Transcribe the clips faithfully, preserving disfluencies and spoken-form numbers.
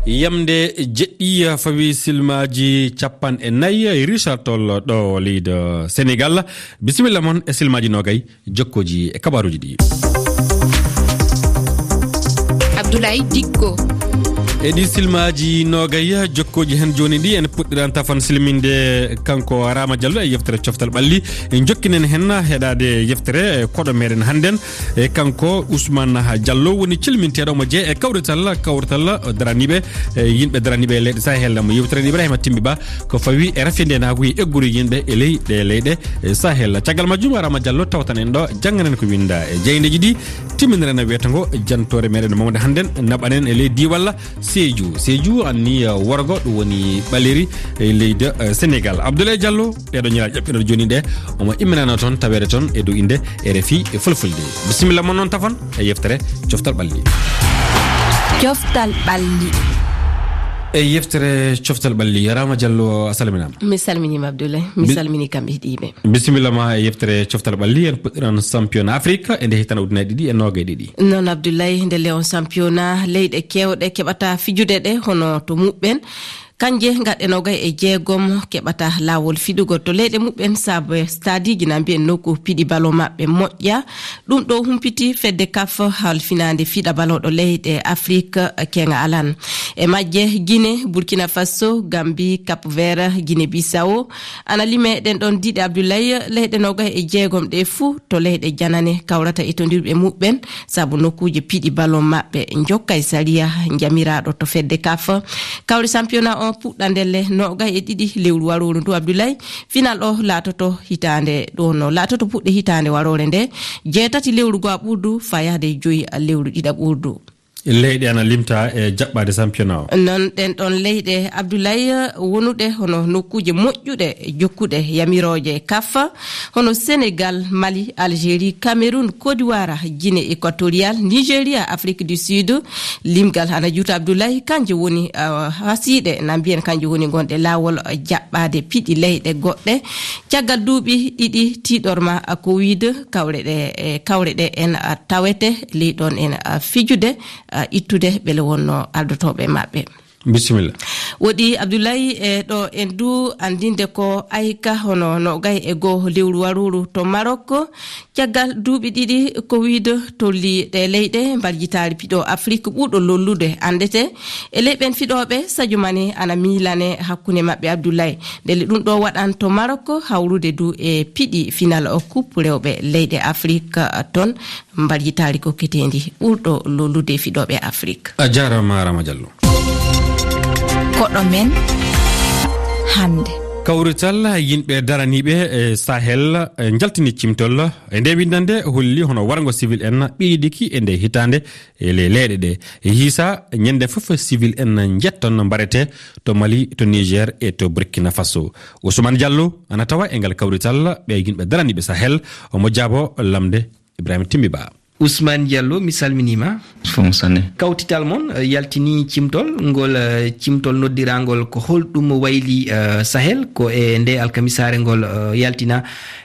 Yamde jeɗɗi fawi silmaaji capanɗe nayi, Richard Toll ɗo leydi Senegal. Bisimilla mon e silmaaji nogay, jokkooji e kabaaruuji ɗi. Abdoulaye Dikko. E ɗi silmaaji nogay, jokkooji hen jooni ɗi, en puɗɗiran tafan silminde kanko Rama Diallo e yeftere coftal ɓalli. En jokkinen hen heɗaade yeftere koɗo meɗen hannden. E kanko Ousmane Diallo woni cilminteeɗo mo jee e kawrital, kawrital daraniiɓe, e yimɓe daraniiɓe e leyɗe Sahel, mo yewtiren Ibrahima Timbi Ba, ko fawi e rafindeenaagu e egguru yimɓe e ley ɗe leyɗe, e Sahel. Caggal majjum, Rama Diallo tawtan en ɗo, jannganen ko winda e jeydeji ɗi, timminiren weetango jantoore meɗen mawde hannden, naɓanen e ley diiwalla Sédhiou. Sédhiou anni, eh, worgo, ɗum woni Ɓaleri e leydi, eh, Senegal. Abdoulaye Diallo, ɗeɗo ñalaaɗe ƴaɓɓiɗo jooni ɗe, omo imminano toon, taweede toon e dow innde R F I e Fulfulde. Bisimilla mon noon tafon e yeftere Coftal Ɓalli. Coftal Ɓalli. E yeftere Coftal Ɓalli, Rama Diallo, a salminaama. Mi salminiima, Abdoulaye. Mi Bi- salmini kamɓe heɗiiɓe. Bisimilla ma e yeftere Coftal Ɓalli, en puɗɗiran championnat Afrique e nde hitande ujunnaji ɗiɗi e noogay ɗiɗi. Noon, Abdoulaye, nde le on championnat, leyɗe keewɗe keɓata fijude ɗe, hono to muɓɓen. Kanje ngaɗɗe noogay e jeegom keɓata laawol fiɗugol to leyɗe muɓɓen, saabe stadiji na mbiyen nokku piɗi balo maɓɓe moƴƴa. Ɗum ɗo humpiti fedde kaf halfinaande fiɗa balo ɗo leyɗe Afrik keŋa alan. E majje, Guinée, Burkina Faso, Gambie, Cap Vert, Guinée Bissau, ana lime ɗen ɗon diɗe, Abdoulaye, leyɗe noogay e jeegom ɗe fuu to leyɗe janane kawrata e tondirɓe muɓɓen, sabu nokkuuje piɗi ballon maɓɓe njokkay sariya njamiraaɗo to fedde kaf. Kawri championnat on puɗɗa ndelle noogay e ɗiɗi lewru warooru ndu, Abdoulaye. Final o laatoto hitaande ɗo no laatoto puɗɗe hitaande waroore nde, jeetati lewru goo ɓurdu faa yahde e joyi lewru ɗiɗa ɓurdu. Leyɗe ana limta e jaɓɓaade championnat o. Noon ɗen ɗon leyɗe, Abdoulaye, wonuɗe hono nokkuuje moƴƴuɗe jokkuɗe yamirooje kaf, hono Senegal, Mali, Algérie, Cameroun, Côte d'Ivoire, Guinée équatoriale, Nigeria, Afrique du Sud. Limgal ana juuta, Abdoulaye, kanje woni, ah, hasiiɗe, na mbiyen kanje woni gonɗe laawol jaɓɓaade piɗi leyɗe goɗɗe. Caggal duuɓi ɗiɗi tiiɗorma, ah, covid, kawre ɗe, eh, kawre ɗe en, ah, tawete ley ɗon en, ah, fijude, ah, ittude ɓele wonno ardotooɓe maɓɓe. Bisimilla. Woɗi, Abdoulaye, e ɗo en du anndinde ko ayka hono noogay e goo lewru waruru to Maroc. Caggal duuɓi ɗiɗi covid tolli ɗe leyɗe mbarjitaari piɗo Afrik ɓurɗo lollude anndete. E ley ɓen fiɗooɓe, Sadio Mané ana miilane hakkunde maɓɓe, Abdoulaye. Ndelle ɗum ɗo waɗan to Maroc hawrude du e piɗi final o coupe rewɓe leyɗe Afrik, ah, ton. Mbaɗi taari kokketeendi ɓurɗo lollude fiɗooɓe Afrik. A jaaraama, Rama Diallo. Koɗo men hannde. Kawrital yimɓe daraniiɓe e Sahel, e, njaltini cimtol. E nde winndannde holli hono warngo civil en ɓeydiki e nde hitaande e le-, leyɗe ɗe. E hiisa, ñande fof civil en njetton mbarete to Mali, to Niger e to Burkina Faso. Ousmane Diallo ana tawa e ngal kawrital ɓe yimɓe daraniiɓe Sahel, omo jaabo lamnde Ibrahima Timbi Ba. Ousmane Diallo, mi salminiima. Fof sanne. Kawtital mon, eh, yaltini cimtol ngol, eh, cimtol noddiraangol ko holɗum wayli, eh, Sahel, ko e nde alkamisaare ngol, eh, yaltina.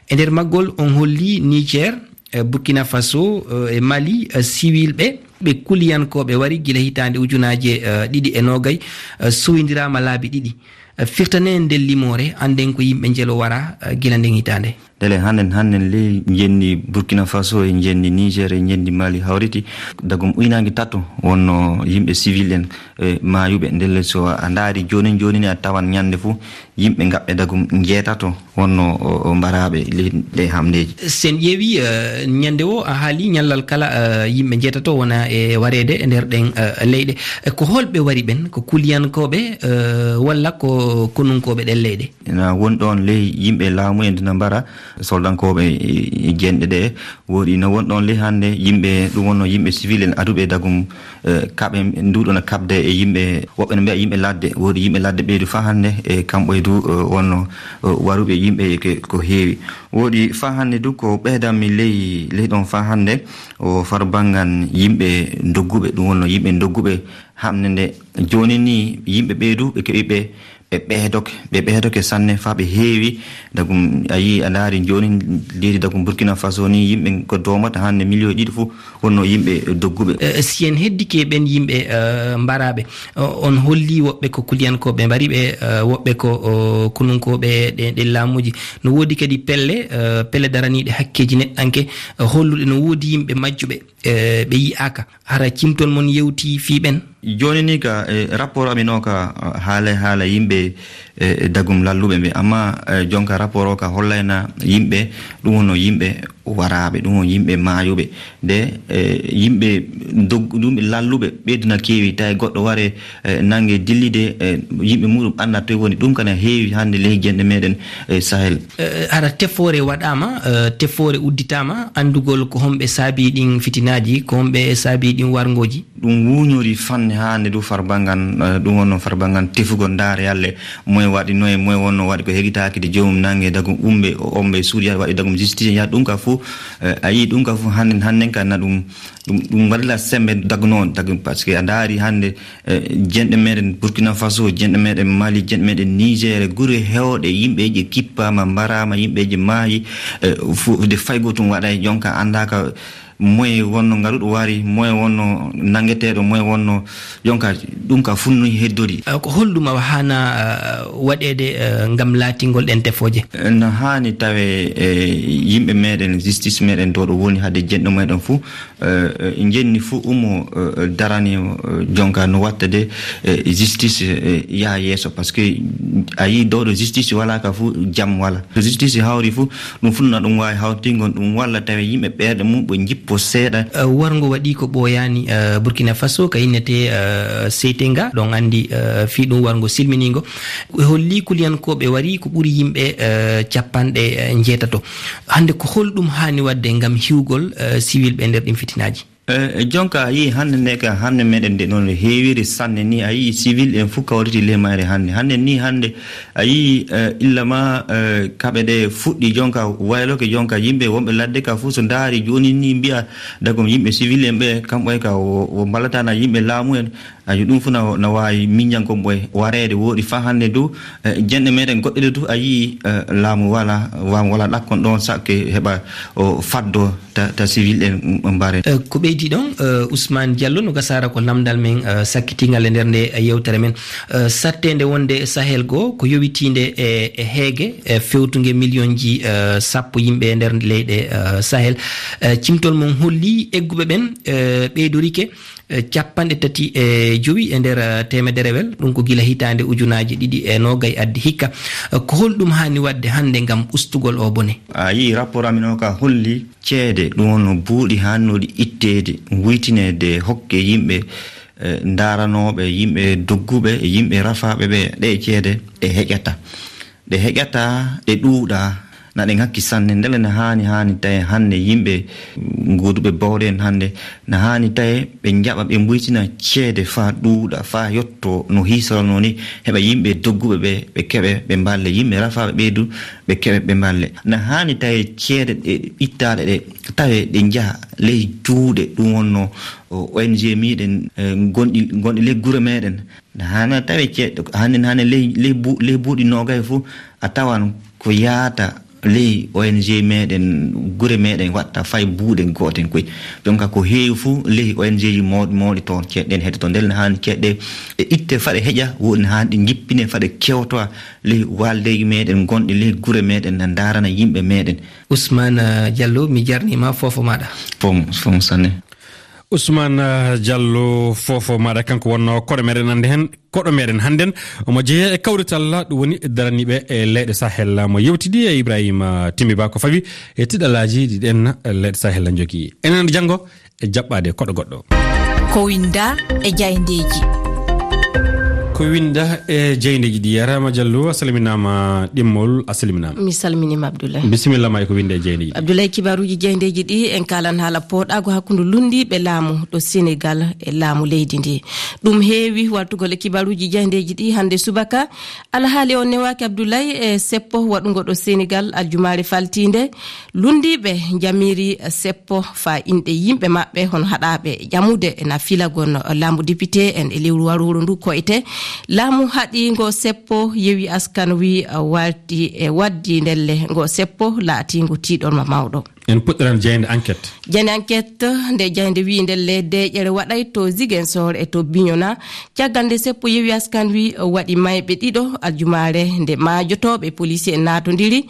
E nder maggol on holli Niger, eh, Burkina Faso, eh, e Mali, eh, siwilɓe, ɓe kuliyankooɓe wari gila hitaande ujunaaje, eh, ɗiɗi e noogay, eh, sowindiraama laabi ɗiɗi. Eh, firtane nden limoore, annden ko yimɓe njelo wara, eh, gila nden hitaande. Ndele hannden, hannden ley njenndi Burkina Faso e njenndi Niger e njenndi Mali hawriti. Dagum uynaange tato wonno yimɓe civil en, e maayuɓe. Ndelle so a ndaari joonin joonin a tawan ñande fof yimɓe ngaɓɓe dagum njeetato wonno o, o mbaraaɓe ley ɗe hamndeeji. Sen ƴeewi, eh, ñande o a haali ñallal kala, eh, yimɓe njeetato wona e wareede e nder ɗen, eh, leyɗe. Eh, ko holɓe wari ɓen? Ko kuliyankooɓe, eh, walla ko konunkooɓe ɗen leyɗe? Ina woni ɗoon ley yimɓe laamu en dina mbara soldankooɓe e, e jenɗe ɗe. Woodi ina woni ɗoon ley hannde yimɓe, ɗum wonno yimɓe civil en aduɓe dagum, eh, kaɓe nduɗon e kaɓde e yimɓe, woɓɓe no mbiya yimɓe ladde. Woodi yimɓe ladde ɓeydu faa hannde e kamɓe du, eh, wonno, eh, waruɓe yimɓe ke-, ko heewi. Woodi faa hannde du ko ɓeydanmi ley, ley ɗoon faa hannde o far banngan yimɓe dogguɓe, ɗum wonno yimɓe dogguɓe hamnde nde. Jooni ni yimɓe ɓeydu ɓe keɓi ɓe ɓe ɓeedoke, ɓe ɓeedoke sanne faa ɓe heewi. Dagum, a yii, a ndaari jooni leydi dagum Burkina Faso ni, yimɓe ko doomata hannde miliyoŋ ɗiɗi fof wonno yimɓe dogguɓe. Eh, si en heddike ɓen yimɓe, eh, mbaraaɓe, o-, on holli woɓɓe ko kuliyankooɓe mbari ɓe, eh, woɓɓe ko, o, konunkooɓe ɗe, ɗe laamuuji. No woodi kadi pelle, eh, pelle daraniiɗe hakkeeji neɗɗanke, eh, holluɗe no woodi yimɓe majjuɓe, eh, ɓe yi'aaka. Hara cimtol mon yewti fii ɓen? Jooni ni ka, eh, rapport amin o ka, eh, haala, haala yimɓe, eh, dagum lalluɓe ɓe. Amma, eh, jonka rapport o ka hollayna yimɓe, ɗum wonno yimɓe waraaɓe, ɗum won yimɓe maayuɓe. De, eh, yimɓe dog-, ɗum ɓe lalluɓe, ɓeydu na keewi, tawi goɗɗo ware, eh, nange dillide, eh, yimɓe muɗum annda toye woni. Ɗum kana heewi hannde leydi jenɗe meɗen, eh, Sahel. Eh, hara tefoore waɗaama, eh, tefoore udditaama, anndugol ko homɓe saabi ɗin fitinaaji, ko homɓe saabi ɗin warngooji? Ɗum wuuñori fanne haa nde du farbangan, eh, ɗum wonno farbangan tefugol ndaare yalle, moye waɗi noye, moye wonno waɗi ko hegitaaki de joomum nange dagum umɓe, o omɓe suuɗi yaade waɗi dagum justice yaade ɗum ka fuu, eh, a yii ɗum ka fuu hannden, hannden ka na ɗum, ɗum, ɗum waɗila sembe dagnoon dagum, parce que a ndaari hannde, eh, jenɗe meɗen Burkina Faso, jenɗe meɗen Mali, jenɗe meɗen Niger, gure heewɗe yimɓeeji kippaama, mbaraama, yimɓeeji maayi, eh, fuu de faygo tum waɗay jonka anndaaka moye wonno ngaruɗo wari, moye wonno nangeteeɗo, moye wonno jonka, ɗum ka funnu heddori. Eh, ko holɗum awa haana, eh, waɗeede, eh, ngam laatingol ɗen tefooje? Eh, no haani tawe, eh, yimɓe meɗen, justice meɗen ɗo ɗo woni hade jenɗo meɗen fuu, eh, eh, jenni fuu umo, eh, eh, darani, eh, jonka no watta de, eh, justice, eh, yaha yeeso, parce que a yii ɗo ɗo justice wala ka fuu jam wala. To justice hawri fuu, ɗum fuu na ɗum waawi hawtingol ɗum walla tawi yimɓe ɓerɗe mum ɓe njippo seeɗa. Eh, warngo waɗi ko ɓooyaani, eh, Burkina Faso, ka innetee, eh, Seitenga, ɗon anndi, eh, fii ɗum warngo silminiingo. Ɓe holli kuliyankooɓe wari ko ɓuri yimɓe, eh, capanɗe, eh, njeetato. Hannde ko holɗum haani waɗde ngam hiwgol, eh, siwilɓe e nder ɗin fitinaaji? Eh, jonka a yii hannde nde ka, hannde meɗen nde ɗon no heewiri sanne ni, a yii sivil en fuu kawriti ley mayre hannde. Hannde ni hannde, a yii, eh, illa ma, eh, kaɓe ɗe fuɗɗi jonka wayloke jonka yimɓe wonɓe ladde ka fuu so ndaari jooni ni mbi'a dagom yimɓe sivil en ɓe, kamɓe ka wo, wo mballatana yimɓe laamu en. Ayo, ɗum fuu na, na waawi miññankon ɓoy wareede wooɗi faa hannde du, eh, jenɗe meɗen goɗɗe ɗe du, a yii, eh, laamu wala, laamu wala ɗakkon ɗon sakke heɓa o faddo ta, ta civil en, mm, mbaren. Eh, ko ɓeydi ɗon, eh, Ousmane Diallo no gasaara ko lamndal men, eh, sakkitingal e nder nde yewtere men. Eh, satteende wonde Sahel goo ko yowitiinde e, e heege, e fewtunge miliyonji, eh, sappo yimɓe e nder leyɗe, eh, Sahel. Eh, cimtol mum holli egguɓe ɓen, eh, ɓeydorike, eh, capanɗe tati e jowi e nder, eh, teemederewel, ɗum ko gila hitaande ujunaaji ɗiɗi e noogay addi hikka. Eh, ko holɗum haani waɗde hannde ngam ustugol oo bone? A yii rapport amin o ka holli ceede, ɗum wonno buuɗi haannooɗi itteede, wuytineede, hokke yimɓe, eh, ndaaranooɓe, yimɓe dogguɓe, yimɓe rafaaɓe ɓe, ɗe ceede ɗe heƴata. Ɗe heƴata, ɗe ɗuuɗa, na ɗe ŋakki sanne. Ndelle na haani, haani tawi hannde yimɓe nguuduɓe bawɗe en hannde, na haani tawi ɓe njaɓa, ɓe mbuytina ceede faa ɗuuɗa, faa yotto no hiisoranoo ni, heɓa yimɓe dogguɓe ɓe, ɓe keɓe, ɓe mballe, yimɓe rafaaɓe ɓe du, ɓe keɓe, ɓe mballe. Na haani tawi ceede ɗe ittaaɗe ɗe, tawe ɗe njaha ley juuɗe, ɗum wonno o, O N G meɗen, eh, gonɗi, gonɗi ley gure meɗen. Hana tawe ceeɗɗo, hannde, hannde ley, ley bu-, ley buuɗi noogay fof, a tawan ko yaata ley O N G meɗen, gure meɗen waɗta fay buuɗe gooten koy. Jonka ko heewi fof ley O N G ji mawɗi, mawɗi toon ceeɗɗen heddoto. Ndelle ne haani ceeɗɗe e itte faɗe heƴa, woni haani ɗe njippine faɗe kewtowa ley waaldeeji meɗen gonɗi ley gure meɗen, na ndaarana yimɓe meɗen. Ousmane, eh, Diallo, mi jarnima fofo maɗa. Fom, fom sanne. Ousmane, eh, Diallo, fofo maɗa kanko wonno koɗo meɗen hannde hen, koɗo meɗen hannden. Omo jeeya e kawrital ɗum woni daraniiɓe e leyɗe Sahel. Mo yewtidi e Ibrahima, eh, Timbi Ba ko fawi e tiɗalaaji ɗi ɗen, eh, leyɗe Sahel njogii. Enen janngo e jaɓɓaade koɗo goɗɗo. Ko winda e jayndeeji. Ko winda e jayndeeji ɗi. Yarama Diallo, a salminaama ɗimmol, a salminaama. Mi salminiima Abdoulaye. Bisimilla ma e ko winda e jayndeeji ɗi. Abdoulaye, kibaaruuji jayndeeji ɗi en kaalan haala pooɗaago hakkunde lunndiiɓe laamu ɗo Senegal e laamu leydi ndi. Ɗum heewi wartugol e kibaaruuji jayndeeji ɗi hannde subaka. Alhaali o newaaki Abdoulaye e seppo waɗungo ɗo Senegal aljumaare faltiinde. Lunndiiɓe njamiri seppo faa inɗe yimɓe maɓɓe hono haɗaaɓe ƴamude na filagon laamu député en e lewru warooru ndu koyte. Laamu haɗi ngo seppo, yewi askan wi, uh, walti e waddi ndelle ngo seppo laatiingo tiiɗorma mawɗo. En puɗɗiran jaaynde Enquête. Jaaynde Enquête, nde jaaynde wiyi ndelle deeƴere waɗay to Ziguinchor e to Bignona. Caggal nde seppo yewi askan wi, uh, waɗi mayɓe ɗiɗo aljumaare nde maajotooɓe poliisi en naatondiri.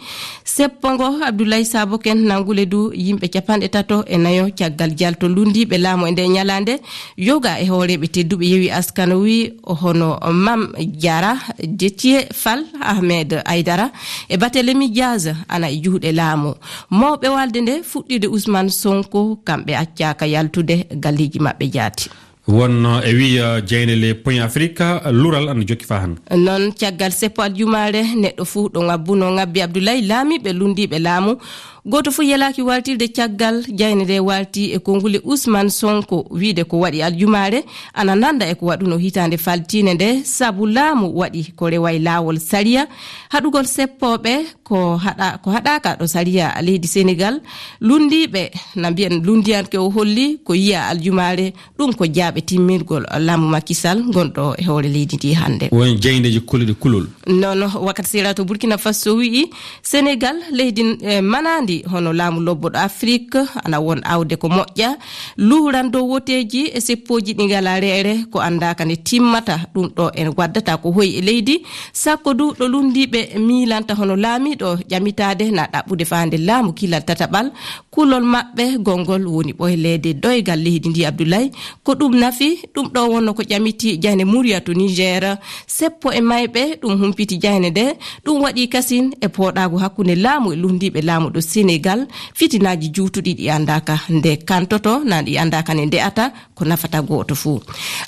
Seppo ngo Abdoulaye Sabo Ken nanngule du yimɓe capanɗe tato e nayo caggal jalto lunndiiɓe laamu e nde ñalaande. Yoga e hooreeɓe tedduɓe yewi askan wi hono Mam Diarra, Déthié Fall, Ahmed Aidara e Barthélémy Diaz ana e juuɗe laamu. Mawɓe walde nde fuɗɗiiɗe Ousmane Sonko, kamɓe accaaka yaltude galleeji maɓɓe jaati. Wonno e wiya jeyne le Point Afrique, lural ana jokki faa hannde. Noon caggal seppo aljumaare, neɗɗo fuu ɗo ŋabbuno ŋabbi Abdoulaye, laamiiɓe lunndiiɓe laamu. Gooto fof yelaaki waaltirde caggal jayne nde waalti e konngule Ousmane Sonko, wiyde ko waɗi aljumaare ana nannda e ko waɗuno hitaande faltiinde nde, sabu laamu waɗi ko rewa e laawol sariya. Haɗugol seppooɓe ko haɗa-, ko haɗaaka ɗo sariya leydi Senegaal. Lunndiiɓe na mbiyan lunndiyanke o holli ko yiya aljumaare. Ɗum ko jaaɓe timmirgol laamu Macky Sall ngonɗo e hoore leydi ndi hannde. Won jayndeeji koluɗi kulol. Noon, wakkati sera to Burkina Faso wi'i, Senegaal, leydi, eh, manaandi hono laamu lobbo ɗo Afrik, ana won awde ko moƴƴa, luuran dow woteeji e seppooji ɗi ngalaa reere, ko anndaaka nde timmata. Ɗum ɗo en waddata ko hoy e leydi, sakko du ɗo lunndiiɓe miilanta hono laamiiɗo ƴamitaade na ɗaɓɓude faande laamu kilal tataɓal. Kulol maɓɓe gongol woni ɓoyleede doygal leydi ndi, Abdoulaye. Ko ɗum nafi, ɗum ɗo wonno ko ƴamiti jayne Muriya to Niger. Seppo e mayɓe ɗum humpiti jayne nde, ɗum waɗi kasin e pooɗaagu hakkunde laamu e lunndiiɓe laamu ɗo Senegaal. Fitinaaji juutuɗi ɗi anndaaka nde kantoto, na ɗi anndaaka nde nde'ata, ko nafata gooto fuu.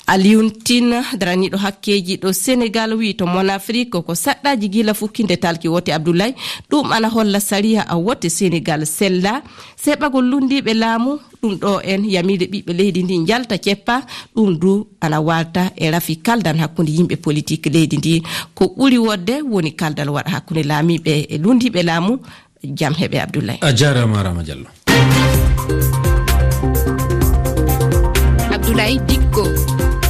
Alioune Tine, daraniiɗo hakkeeji ɗo Senegaal, wi'i to Mon Afrique ko saɗɗaaji gila fukkinde talki wote, Abdoulaye. Ɗum ana holla sariya a wote Senegaal sella. Seɓagol lunndiiɓe laamu, ɗum ɗo en yamiide ɓiɓɓe leydi ndi njalta ceppa, ɗum du ana waalta e rafi kaldan hakkunde yimɓe politik leydi ndi. Ko ɓuri wodde woni kaldal waɗa hakkunde laamiiɓe e lunndiiɓe laamu. Jam heɓe, Abdoulaye. A jaaraama, Rama Diallo. Abdoulaye Dikko.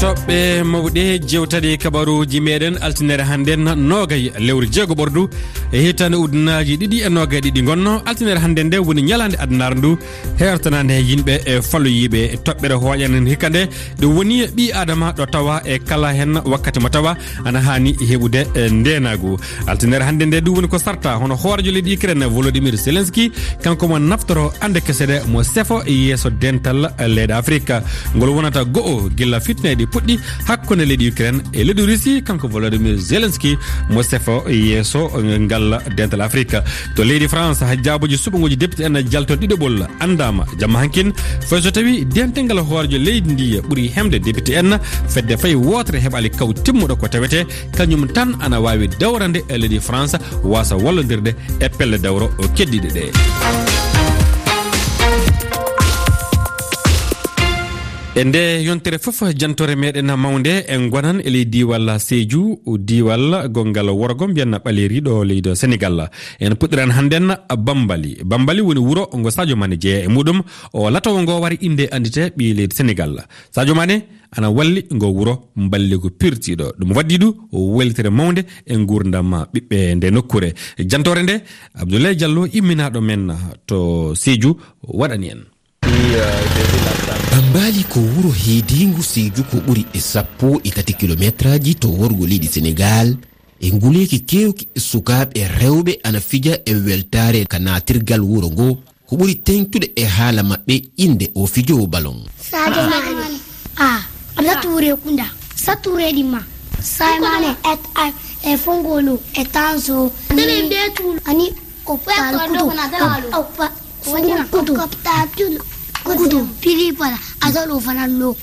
Toɓɓe mawɗe jewtaɗe kabaruuji meɗen altinere hannden, noogay lewru jeego ɓordu e hitaande ujunaaji ɗiɗi e noogay ɗiɗi ngonno. Altinere hannden nde woni ñalaande adnaar ndu, heertanaande he yimɓe e falloyiiɓe toɓɓere hooƴanen hikka nde, ɗum woni ɓii Aadama ɗo tawa e kala hen wakkati mo tawa ana haani heɓude, eh, ndeenaagu. Altinere hannde nde ɗum woni ko sarta hono hooreejo leydi Ukraine Volodymyr Zelensky, kanko mo naftoro annde kese ɗe mo sefo yeeso dental leyɗe Afrika. Ngol wonata go'o gila fitneeji puɗɗi hakkunde leydi Ukraine e leydi Russie, kanko Volodymyr Zelensky mo sefo yeeso ngal dental Afrika. To leydi France, ha jaabuji suɓanguji député en jalto ɗiɗaɓol anndaama jamma hankin, fay so tawi dental ngal hooreejo leydi ndi ɓuri hemde député en, fedde fay wootere heɓaali kaw timmuɗo ko tawete kañum tan ana waawi dawrande e leydi France, wasa wallondirde e pelle dawro keddiɗe ɗe. E nde yontere fof, jantore meɗen mawnde, en gonan e ley diiwal Sédhiou, diiwal gongal worgo mbiyan ɓaleeri ɗo leydi Senegal. En puɗɗiran hannden Bambali. Bambali woni wuro ngo Sadio Mané jeeya e muɗum. O latowo ngo wari innde anndite ɓii leydi Senegal. Sadio Mané ana walli ngo wuro mballigu pirtiiɗo. Ɗum waddi du weltere mawnde e nguurndam ɓiɓɓe nde nokkuure. Jantore nde, Abdoulaye Diallo, imminaaɗo men to Sédhiou, waɗani en. Bambali ko wuro heediingu Sédhiou ko ɓuri e sappo e tati kilometraaji to worgo leydi Senegal. E nguleeki keewki, sukaaɓe rewɓe ana fija e weltaare ka naatirgal wuro ngo. Ko ɓuri teeŋtude e haala maɓɓe, innde o fijoowo ballon. Sadio Mané. Ah, Abdou Touré Kunda. Sa Touré di ma. Sadio Mané et, et Fongolo et Tanzo. Ani o pa kudu. O pa kudu. Kudu. Pili pala. Azalo fanallo.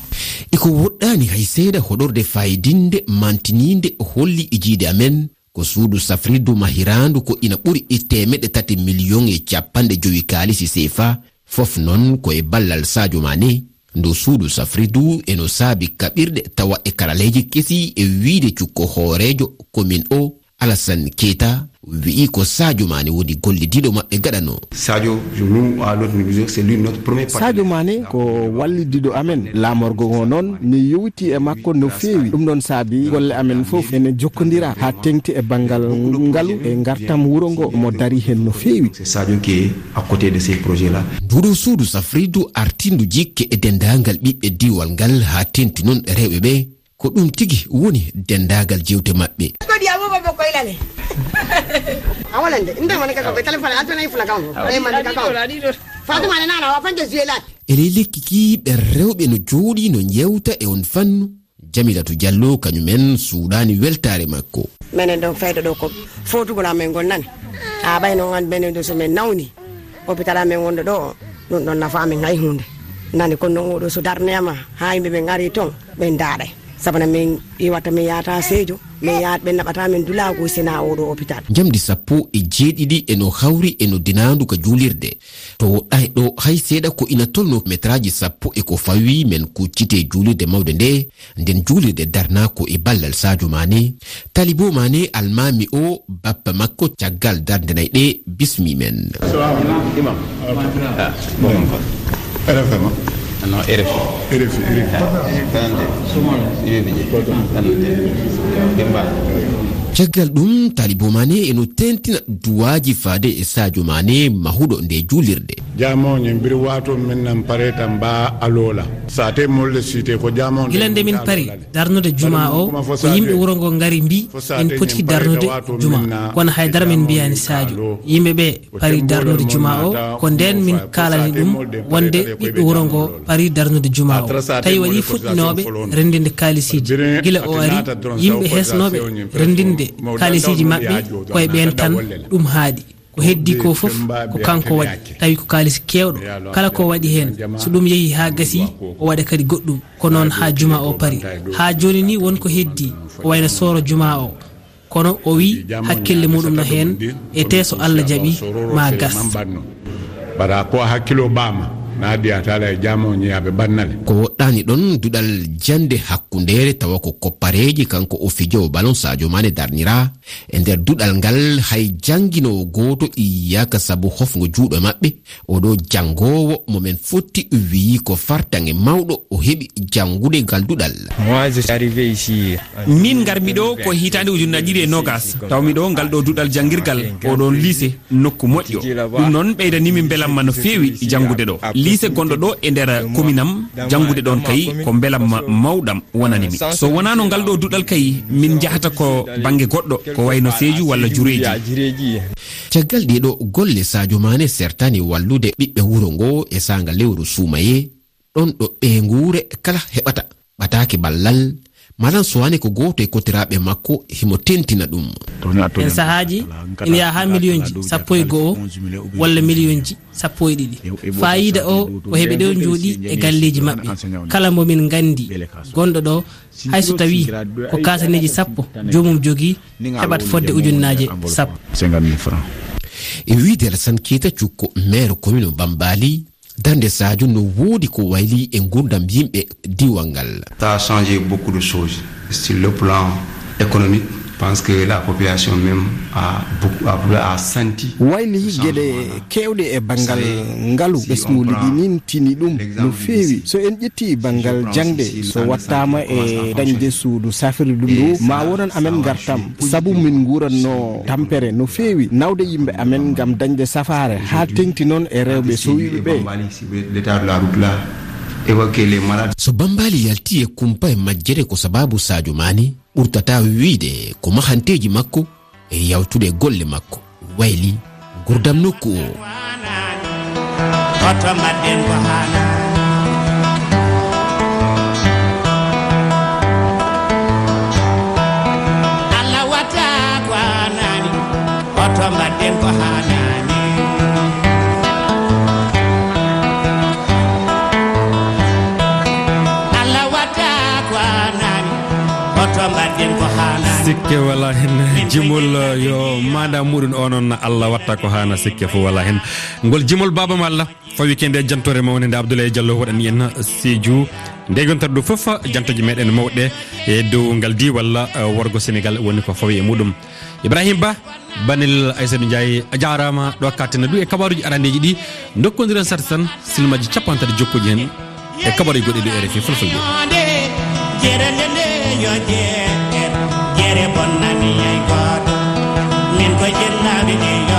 Iko woɗɗaani hay seeɗa hoɗorde faayidinde, mantiniinde, holli e jiide amen. Ko suudu safrirdu mahiraandu ko ina ɓuri e teemeɗɗe tati miliyoŋ e capanɗe jowi kaalisi seefa, fof noon ko e ballal Sadio Mané. Ndu suudu safrirdu eno saabi kaɓirɗe tawa e karaleeji kesi, e wiyde cukko hooreejo commune o, Alassane Keita, wi'i ko Sadio Mané woni gollidiiɗo maɓɓe gaɗano. Sadio, nous, à notre niveau, c'est lui notre premier partenaire. Sadio Mané ko wallidiiɗo amen. Laamorgo ngo noon, mi yowiti e makko no feewi. Ɗum ɗoon saabi golle amen fof ene jokkondira haa teŋti e banngal ngalu e ngartam wuro ngo, mo dari heen no feewi. C'est Sadio qui est à côté de ces projets-là. Nduɗo suudu safridu artindu jikke e denndaangal ɓiɓɓe diiwal ngal haa teŋti noon rewɓe ɓe. Ko ɗum tigi woni denndaangal jeewte maɓɓe. Ko ɗi abuba mo koylale. A wonande, nde woni ka ko téléphone, a tona i fula kan. Ay man ka kan. Fatima ne nana wa fanje zuelat. E ley lekki ki ɓe rewɓe no jooɗi no njewta e on fannu. Jamilatu Jallo kañum en suuɗaani weltaare makko. Menen ɗon fayɗo ɗo ko fotugol amen ngol nani. A ɓay noon an benen ɗo so men nawni. Hôpital amen wonɗo ɗo o, ɗum ɗon nafa amen hay huunde. Nani kono noon oɗo so darneyama haa yimɓe ɓen ari toon, ɓen ndaaɗay. Sabana min iwata min yahata Seejo, min yahat ɓe naɓata min dulago sina oɗo hôpital. Njamdi sappo e jeeɗiɗi e no hawri e no dinaandu ka juulirde. To woɗɗaay ɗo hay seeɗa ko ina tolno metraaji sappo e ko fawi men kuccite juulirde mawde nde. Nden juulirde darnaa ko e ballal Sadio Mané. Talibo Mané almaami o bappa makko caggal darnde nay ɗe bismi men. Imam. Ah, bon, bon. R F M. Ah, non, R F I. R F I, R F I. Ah, attendez. Je vais venir. Attendez. Demba. Caggal ɗum, Talibo Mané eno tentina duwaaji faade e Sadio Mané mahuɗo nde juulirde. Jamoñe mbir wato min nan pare tan ba alola. Sa te molle site ko jamoñe. Gila nde min pari darnude juma o, ko yimɓe wuro ngo ngari mbi en poti darnude juma. Kono haydara min mbiyani Sadio. Yimɓe ɓe pari darnude juma o, ko nden min kaalani ɗum wonde ɓiɓɓe wuro ngo pari darnude juma o. Tawi waɗi fuɗɗinooɓe renndinde kaalisiji. Gila o ari, yimɓe hesnooɓe renndinde kaalisiji maɓɓe, koye ɓeen tan ɗum haaɗi. Ko heddi ko fof ko kanko waɗi, tawi ko kaalis keewɗo. Kala ko waɗi heen, so ɗum yehi haa gasi, o waɗa kadi goɗɗum. Ko noon haa juma o pari. Haa jooni ni won ko heddi, ko wayno sooro juma o. Kono o wi hakkille muɗum no heen, e te so Allah jaɓi, ma gas. Bara ko hakkilo bama, na diyata la e jamo ñiyaɓe bannale. Ko woɗɗani ɗon duɗal jande hakkundeere tawa ko koppareeji kanko o fijowo balon Sadio Mané darnira. E nder duɗal ngal hay jannginoowo gooto ƴiiyaaka sabu hofngo juuɗo maɓɓe. Oɗo janngoowo mo men fotti wiyi ko fartaŋŋe mawɗo o heɓi janngude ngal duɗal. Moi, je suis arrivé ici. Min ngarmi ɗo ko hitaande ujunnaji ɗiɗi e nogas. Tawmi ɗo ngal ɗo duɗal janngirgal, oɗon lycée, nokku moƴƴo. Ɗum noon ɓeydani min mbelamma no feewi janngude ɗo. Lycée gonɗo ɗo e nder commune am, janngude ɗon kay ko mbelamma mawɗam wonani mi. So wonaano ngal ɗo duɗal kay, min njahata ko bannge goɗɗo, ko wayno Seeju walla Jureeji. Caggal ɗee ɗo golle, Sadio Mané sertaani wallude ɓiɓɓe wuro ngo e saanga lewru suumayee, ɗon ɗo ɓeynguure kala heɓata ɓataake ballal. Malan Soane ko gooto e kotiraaɓe makko, himo tentina ɗum. En sahaaji ina yaha haa miliyonji sappo e go'o walla miliyonji sappo e ɗiɗi. Faayiida o ko heɓe ɗo njooɗi e galleeji maɓɓe. Kala mo min nganndi gonɗo ɗo, hay so tawii ko kasaneeji sappo joomum jogii, heɓat fodde ujunnaaje sappo. E wiyde Alassane Keita Cukko, maire commune Bambali, darnde Sadio no woodi ko wayli e nguurndam yimɓe diiwal ngal. Ça a changé beaucoup de choses sur le plan économique, parce que la population même a beaucoup, a, a senti. Wayli geɗe keewɗe e banngal ngalu, ɓesngu ligginintini ɗum no feewi. So en ƴetti banngal jaŋde, so wattaama e dañde suudu safrirdu ndu, ma wonan amen ngartam, sabu min nguuranno tampere no feewi, nawde yimɓe amen ngam dañde safaare, haa teŋti noon e rewɓe sowiiɓe ɓe. L'état de la route là, évacuer les malades. So Bambali yalti e kumpa e majjere ko sababu Sadio Mané, ɓurtata wiyde ko mahanteeji makko e yawtude golle makko wayli ngurdam nokku o. Hoto mbaɗɗen ko haanaa. Allah watta ko haanaani. Hoto mbaɗɗen ko haanaani. Allah watta ko haanaani. Hoto mbaɗɗen ko haanaani. Sikke wala hen. Jimol yo maanda muɗum onon, Allah watta ko haana, sikke fof wala hen. Ngol jimol Baaba Malla. Fawi ke nde jantore mawnde nde Abdoulaye Diallo waɗani en Sédhiou. Nde gonta ɗo fof, jantoji meɗen mawɗe e dow ngal di walla, eh, worgo Senegal woni ko fawi e muɗum. Ibrahim Ba, Banel Aysatu Ndiaye, a jaaraama ɗo kattene du e kabaruji arandeji ɗi. Dokkondiren sat tan silmaji capantaɗe jokkuji hen e kabaruji goɗɗi ɗo R F I Fulfulde. Jere nde nde yo jeere, jere bonnani hay gooto. Min ko jennaaɓe ɗi